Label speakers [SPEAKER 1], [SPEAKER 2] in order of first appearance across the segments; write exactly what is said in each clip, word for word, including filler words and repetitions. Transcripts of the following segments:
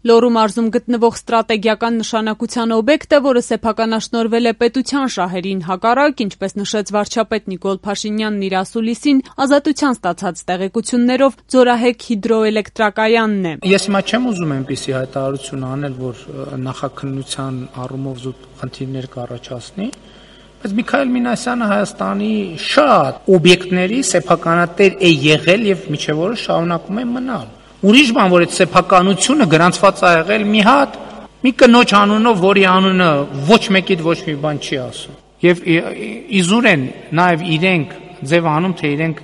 [SPEAKER 1] Լոռու մարզում գտնվող ստրատեգիական նշանակության օբյեկտը, որը սեփականաշնորհվել է պետության շահերին հակառակ, ինչպես նշեց վարչապետ Նիկոլ Փաշինյանն իր ասուլիսին, Ազատության ստացած տեղեկություններով Ձորահեք հիդրոէլեկտրակայանն է։
[SPEAKER 2] Ես հիմա չեմ ուզում այնպիսի հայտարարություն անել, որ նախաքննության առումով զուտ խնդիրներ կառաջացնի, բայց Միքայել Մինասյանը Հայաստանի շատ օբյեկտների սեփականատեր է եղել եւ միջև օրս շարունակում է մնալ։ Ուրիշ բան, որ այդ սեփականությունը գրանցված է եղել մի հատ մի կնոջ անունով, որի անունը ոչ մեկիդ ոչ մի բան չի ասում։ Եվ իզուր են նաև իրենք ձև անում, թե իրենք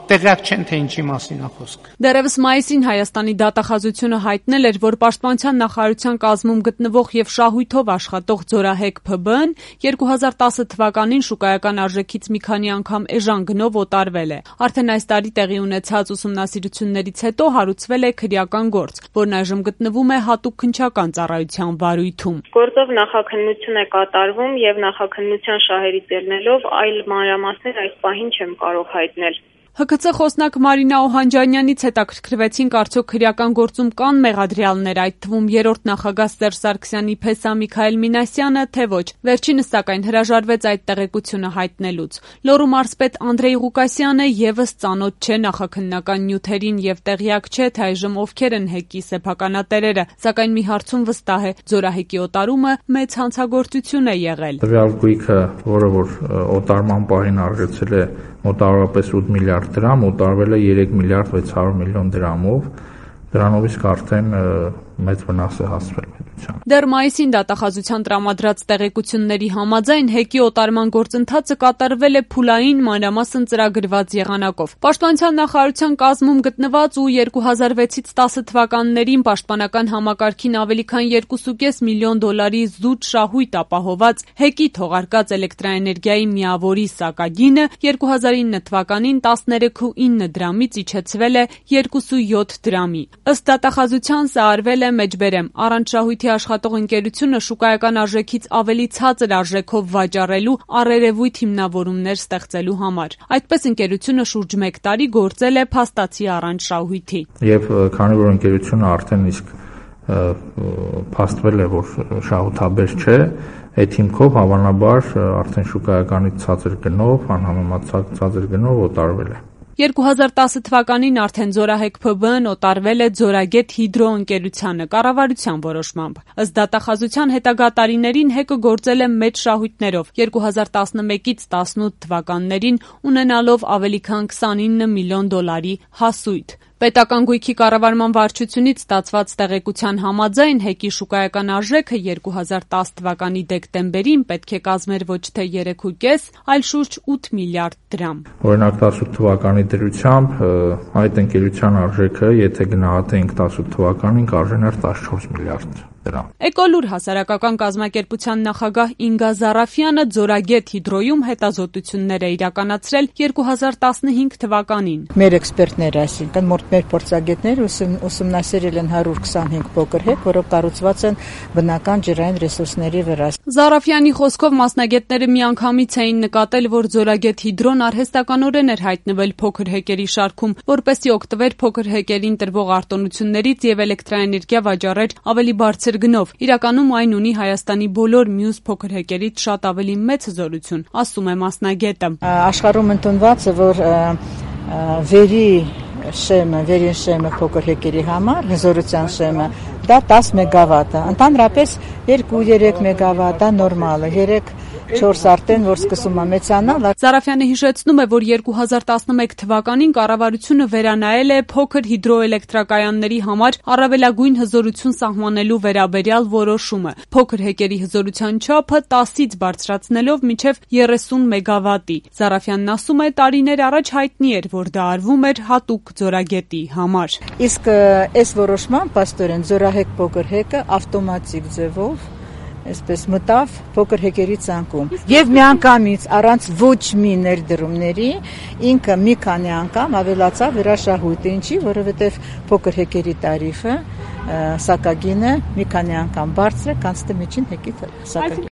[SPEAKER 2] տեղյակ չեն, թե ինչի մասին է խոսքը։
[SPEAKER 1] Դեռևս մայիսին Հայաստանի դատախազությունը հայտնել էր, որ Պաշտպանության նախարարության կազմում գտնվող եւ շահույթով աշխատող Ձորահեք ՓԲ-ն երկու հազար տասը թվականին շուկայական արժեքից մի քանի անգամ էժան գնով օտարվել է։ Արդեն այս տարի տեղի ունեցած ուսումնասիրություններից հետո հարուցվել է քրեական գործ, որն այժմ գտնվում է հատուկ քննչական ծառայության վարույթում։
[SPEAKER 3] Գործով նախաքննություն է կատարվում եւ նախաքննության շահերից ելնելով այլ մանրամասներ այս պահին չեմ կարող հայտնել։
[SPEAKER 1] ՀՔՑ խոսնակ Մարինա Օհանջանյանից հետաքրքրվեցինք, արդյոք քրեական գործում կան մեղադրյալներ, այդ թվում երրորդ նախագահ Սերժ Սարգսյանի փեսա Միքայել Մինասյանը, թե ոչ։ Վերջինս սակայն հրաժարվեց այդ տեղեկությունը հայտնելուց։ Լոռու մարզպետ Անդրեյ Ղուկասյանը եւս ծանոթ չէ նախաքննական նյութերին եւ տեղյակ չէ, թե այժմ ովքեր են ՀԵԿ-ի սեփականատերերը, սակայն մի հարցում վստահ է՝ Ձորահեկի օտարումը մեծ հանցագործություն է եղել։
[SPEAKER 4] Տվյալ գույքը, որը որ օտարման պահին արժեցել է մոտավորապես ութ միլիարդ դրամ, օտարվել է երեք միլիարդ վեց հարյուր միլիոն դրամով, դրանով իսկ արդեն մեծ վնաս է հասցվել պետության։
[SPEAKER 1] Դեռ մայիսին դատախազության տրամադրած տեղեկությունների համաձայն ՀԵԿ-ի օտարման գործընթացը կատարվել է փուլային մանրամասն ծրագրված եղանակով։ Պաշտպանության նախարարության կազմում գտնված ու երկու հազար վեցից տասը թվականներին պաշտպանական համակարգին ավելի քան երկու կես միլիոն դոլարի զուտ շահույթ ապահոված ՀԵԿ-ի թողարկած էլեկտրաէներգիայի միավորի սակագինը երկու հազար ինը թվականին տասներեք ու ինը դրամից իջեցվել է երկու յոթ դրամի։ Ըստ դատախազության սա արվել է մեջբերեմ առանց շահույթի աշխատող ընկերությունը շուկայական արժեքից ավելի ցածր արժեքով վաճառելու առերևույթ հիմնավորումներ ստեղծելու համար։ Այդպես ընկերությունը շուրջ մեկ տարի գործել է փաստացի առանց շահույթի։
[SPEAKER 4] Եվ քանի որ ընկերությունը արդեն իսկ փաստվել է, որ շահութաբեր չէ, այդ հիմքով հավանաբար արդեն շուկայականից ցածր գնով, անհամեմատ ցածր գնով օտարվել է։
[SPEAKER 1] երկու հազար տասը թվականին արդեն Ձորահեք ՓԲ-ն օտարվել է Ձորագետ հիդրո ընկերությանը կառավարության որոշմամբ։ Ըստ դատախազության հետագա տարիներին ՀԵԿ-ը գործել է մեծ շահույթներով երկու հազար տասնմեկից տասնութ թվականներին ունենալով ավելի քան քսանինը միլիոն դոլարի հասույթ։ Պետական գույքի կառավարման վարչությունից ստացված տեղեկության համաձայն ՀԵԿ-ի շուկայական արժեքը երկու հազար տասը թվականի դեկտեմբերին պետք է կազմեր ոչ թե երեք ու կես, այլ շուրջ ութ միլիարդ դրամ։
[SPEAKER 4] Օրինակ տասութ թվականի դրությամբ այդ ընկերության արժեքը, եթե գնահատենք տասութ թվականին, կարժեներ տասնչորս միլիարդ դրամ։
[SPEAKER 1] Էկոլուր հասարակական կազմակերպության նախագահ Ինգա Զարաֆյանը Ձորագետ հիդրոյում հետազոտություններ է իրականացրել երկու հազար տասնհինգ թվականին։
[SPEAKER 5] Մեր էքսպերտները, այսինքն մեր փորձագետները ուսումնասիրել են հարյուր քսանհինգ փոքր հեկ, որոնք կառուցված են բնական ջրային ռեսուրսների վրա։
[SPEAKER 1] Զարաֆյանի խոսքով մասնագետները միանգամից էին նկատել, որ Ձորագետ հիդրոն արհեստականորեն էր հայտնվել փոքր հեկերի շարքում, որպեսզի օգտվեր փոքր հեկերին տրվող արտոնություններից եւ էլեկտրաէներգիա վաճառեր ավելի բարձր գնով։ Իրականում այն ունի Հայաստանի բոլոր մյուս փոքր հեկերից շատ ավելի մեծ հզորություն, ասում է մասնագետը։
[SPEAKER 5] Աշխարհում ընդունված է, որ վերի շեմը, վերին շեմը փոքր հեկերի համար, հզորության շեմը, դա տասը մեգավատ է։ Ընդհանրապես երկու երեք մեգավատ, դա նորմալ է, երեք չորս արդեն, որ սկսում է մեծանալ։
[SPEAKER 1] Զարաֆյանը հիշեցնում է, որ երկու հազար տասնմեկ թվականին կառավարությունը վերանայել է փոքր հիդրոէլեկտրակայանների համար առավելագույն հզորություն սահմանելու վերաբերյալ որոշումը։ Փոքր հեկերի հզորության չափը տասից բարձրացնելով մինչև երեսուն մեգավատի։ Զարաֆյանն ասում է, տարիներ առաջ հայտնի էր, որ դա արվում էր հատուկ Ձորագետի համար։
[SPEAKER 5] Իսկ այս որոշմամբ պաստորեն Ձորահեք փոքր հեկը ավտոմատիկ ձևով այսպես մտավ փոքր հեկերի ցանկում եւ միանգամից առանց ոչ մի ներդրումների ինքը մի քանի անգամ ավելացավ հրաշահույթը, ինչի, որովհետեւ փոքր հեկերի տարիֆը սակագինը մի քանի անգամ բարձր է, քան ստե միջին հեկի սակագին։